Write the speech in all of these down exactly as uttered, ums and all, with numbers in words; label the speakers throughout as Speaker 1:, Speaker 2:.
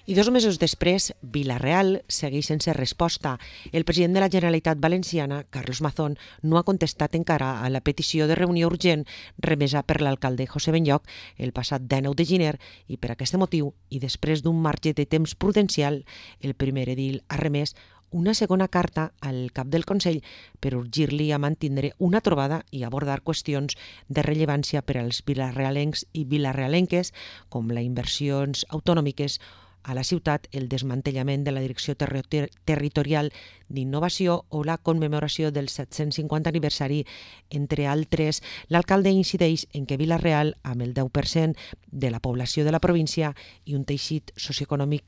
Speaker 1: I dos mesos després, Vila-real segueix sense resposta. El president de la Generalitat Valenciana, Carlos Mazón, no ha contestat encara a la petició de reunió urgent remesa per l'alcalde José Benlloch el passat dinou de gener i per aquest motiu, i després d'un marge de temps prudencial, el primer edil ha remès una segona carta al cap del Consell per urgir-li a mantindre una trobada i abordar qüestions de rellevància per als vilarealencs i vilarealenques, com les inversions autonòmiques a la ciutat, el desmantellament de la Direcció Terri Territorial d'Innovació o la commemoració del set-cents cinquanta aniversari, entre altres. L'alcalde incideix en que Vila-real, amb el deu per cent de la població de la província i un teixit socioeconòmic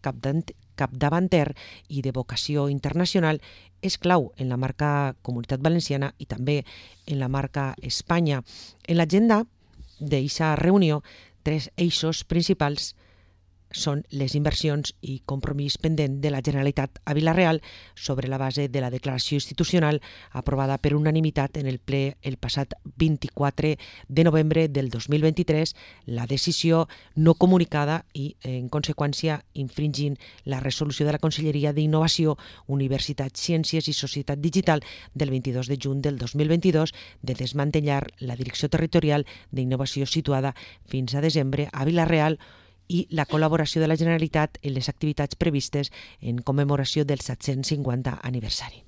Speaker 1: capdavanter i de vocació internacional, és clau en la marca Comunitat Valenciana i també en la marca Espanya. En l'agenda d'aquesta reunió, tres eixos principals són les inversions i compromís pendent de la Generalitat a Vila-real sobre la base de la declaració institucional aprovada per unanimitat en el ple el passat vint-i-quatre de novembre del dos mil vint-i-tres, la decisió no comunicada i, en conseqüència, infringint la resolució de la Conselleria d'Innovació, Universitat, Ciències i Societat Digital del vint-i-dos de juny del dos mil vint-i-dos de desmantellar la Direcció Territorial d'Innovació situada fins a desembre a Vila-real i la col·laboració de la Generalitat en les activitats previstes en commemoració del set-cents cinquanta aniversari.